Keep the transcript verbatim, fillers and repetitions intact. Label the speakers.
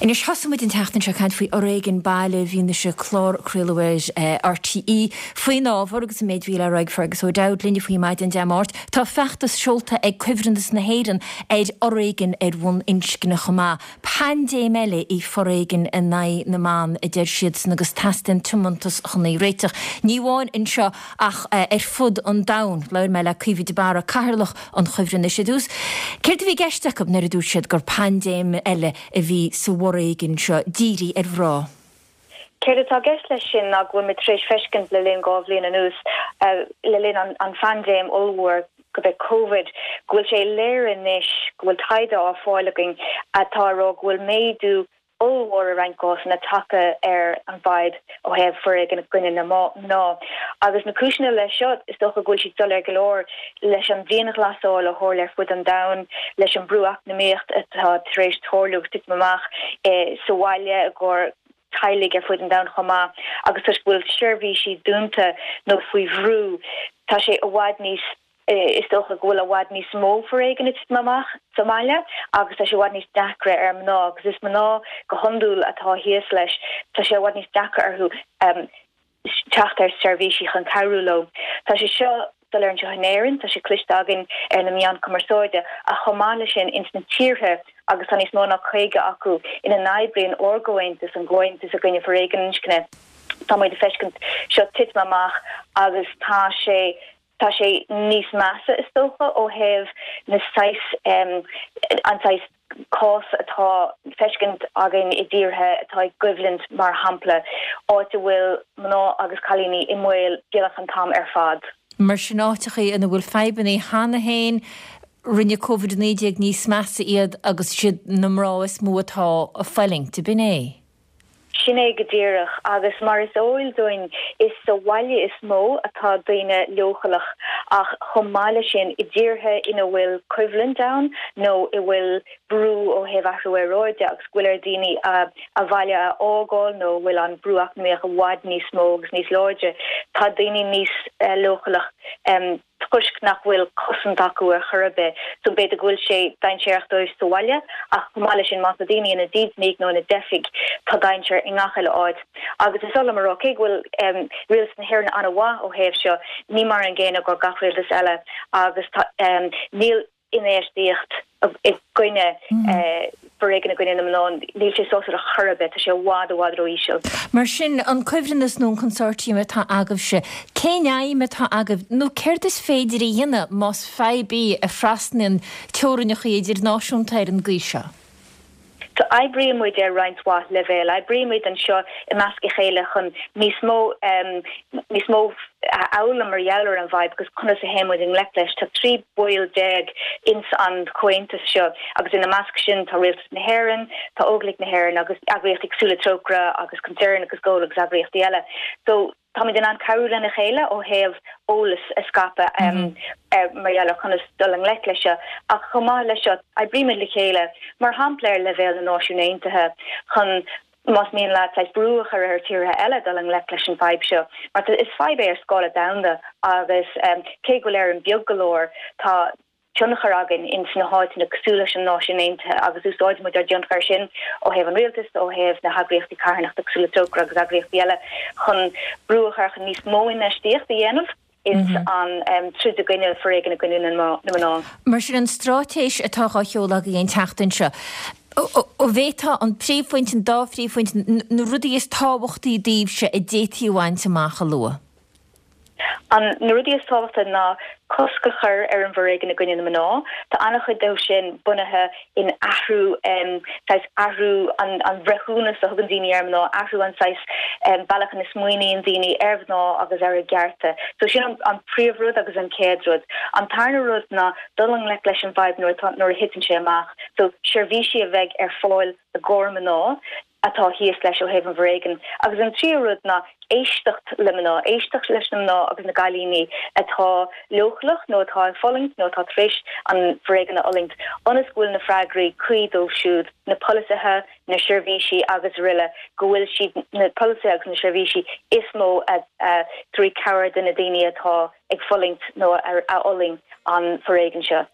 Speaker 1: Anois thosaigh muid an tseachtain seo caint faoi fhoréigean baile bhí sé clár craoladh ar RTÉ faoin ábhar agus an méid bhí le rá ag Fergus O'Dowd linne faoi maidin Dé Máirt, Tá feachtas seolta ag Cuibhreannas na hÉireann ar fhoréigean ar bhonn inscne chomh maith. Paindéim eile í foréigean in aghaidh na mban a deir siadsan agus teastaíonn tiomantas chun í a réiteach. Ní amháin anseo ach ar fud an domhain, labhair mé le Caoimhe de Barra cathaoirleach an Chuibhreannais ar dtús. Céard a bhí i gceist acu nuair a dúirt siad gur paindéim eile a bhí sa bhforéigean seo dírithe ar mhná.
Speaker 2: Céard atá i gceist leis sin ná go bhfuil muid tar éis feiscint le linn dhá bhliain anuas le linn an, an phaindéim ollmhór go b'é COVID, go bhfuil sé léir anois go bhfuil taighde á fáil againn atá rá go bhfuil méadú ollmhór i roinnt cásanna tagtha ar an bhfadhb ó thaobh foréigean i gcoinne na mná. Agus na cúiseanna leis seo is dócha go bhfuil siad soiléir go leor leis an dianghlasáil a tharla ar fud an domhain, leis an brú eacnamaíocht atá tar éis tarlú titim amach e, sa bhaile i gcomhair teaghlaigh ar fud an domhain chomh maith agus toisc go bhfuil seirbhísí dúnta nó faoi bhrú tá sé i bhfad níos is dócha go bhfuil i bhfad níos mó foréigean titim amach sa mbaile agus tá sé i bhfad níos deacra ar mná agus is mná go hiondúil atá thíos leis tá sé i bhfad níos deacra orthu um, teacht ar seirbhísí chun cabhrú leo. Tá sé seo soiléir anseo in Éirinn, tá sé cloiste againn ar na meáin cumarsáide a chomh maith leis sin ins na tíortha agus tá níos mó ná caoga acu ina n-oibríonn ár gcomhaontas an gcomhaontas i gcoinne foréigean inscne. Tá muid ag feiscint seo titim amach agus tá sé tá sé níos measa is dócha ó thaobh na saghas um, an saghas cás atá feiscint againn i dtíortha atá i gcoimhlint mar shampla áit a bhfuil mná agus cailíní i mbaol beagnach an t-am ar fad.
Speaker 1: Mar sin áiteacha ina bhfuil fadhbanna cheana féin rinne COVID naoi déag níos measa iad agus siad na mná is mó atá ag fulaingt, b'in é.
Speaker 2: Sin é go díreach agus mar is eol dúinn is sa bhaile is mó atá daoine leochaileach ach chomh maith leis sin i dtíortha ina bhfuil coimhlint ann nó i bhfuil brú ó thaobh athrú aeráide agus go bhfuil ar daoine a a bhaile a fhágáil nó bhfuil an brú eacnamaíoch i bhfad níos mó agus níos láidre tá daoine níos uh, leochaileach um, toisc nach bhfuil cosaint acu ar chor ar bith so b'fhéidir go bhfuil sé dainséarach dóibh sa bhaile ach chomh maith leis sin má tá daoine ina dídeanaigh nó ina dteifigh tá dainséar i ngach eile áit agus is eol mar cé go bhfuil um, rialtas na hÉireann an-mhaith ó thaobh seo ní mar an gcéanna go gach rialtas eile agus um, níl infheistíocht i gcoinne foréigean i gcoinne na mná níl sé sásúil ar chor ar bith tá sé i bhfad i bhfad ró-íseal.
Speaker 1: Mar sin an cuibhreannas nó an consortium atá agaibhse, cén aidhm atá agaibh nó céard is féidir a dhéanamh más fadhb í a thrasnaíonn teorainneacha idirnáisiúnta ar an gcaoi seo.
Speaker 2: So oibríonn muid ar roinnt mhaith leibhéal, oibríonn muid anseo i measc a chéile chun níos mó um, níos mó a fhoghlaim mar gheall ar an bhfadhb agus conas a théann muid i ngleic leis tá trí bhaill déag ins an comhaontas seo agus ina measc sin tá Rialtas na hÉireann, tá Óglaigh na hÉireann agus eagraíochtaí cosúil le Trócaire agus Concern agus Goal agus eagraíochtaí eile. So táimid in ann cabhrú lena chéile ó thaobh eolas a scaipeadh um, mm -hmm. mar gheall ar conas dul i ngleic leis seo ach chomh maith leis seo oibrímid le chéile mar shampla ar leibhéal na Náisiún Aontaithe chun más mian leat brú a chur ar tíortha eile dul i ngleic leis an bhfadhb seo. Mar is fadhb é ar scála domhanda agus um, cé go bhfuil Éire beag go leor tá tionchar againn in sna háiteanna cosúil leis an Náisiún Aontaithe agus úsáidimid ár dtionchar sin ó thaobh an rialtas ó thaobh na heagraíochtaí carthanachta cosúil le Trócaire agus eagraíochtaí eile chun brú a chur chun níos mó infheistíocht a dhéanamh ins mm -hmm. an um, troid i gcoinne foréigean i gcoinne na mná.
Speaker 1: Mar sin an straitéis atá á sheoladh agaibh an tseachtain seo. Ó bhéta an príomhphointe an dá phríomhphointe na rudaí is tábhachtaí daoibhse a d'fhéadfaí a bhaint amach a lua.
Speaker 2: An na rudaí is tábhachtaí ná cosc a chur ar an bhforéigean i gcoinne na mná, Tá an-chuid de sin bunaithe in athrú um, athrú an, an breithiúnas a thugann daoine ar mná, athrú an saghas um, bealach ina smaoiníonn daoine ar mhná agus ar a gcearta. So sin an, an príomhrud agus an chéad rud. An tarna rud ná dul i ngleic leis an bhfadhb nuair a thiteann sé amach, so seirbhísí a bheidh ar fáil i gcomhair mná atá thíos leis ó thaobh an bhforéigin. Agus an tríú rud ná éisteacht le mná, éisteacht leis na mná agus na cailíní atá leochaileach nó atá ag fulaingt nó atá tar éis an foréigean a fhulaingt, ionas go bhfuil na freagraí cuí dóibh siúd, na polasaithe, na seirbhísí agus araile, go bhfuil siad na polasaithe agus na seirbhísí is mó a tabharfaidh cabhair do na daoine atá ag fulaingt nó a fhulaing an foréigean seo.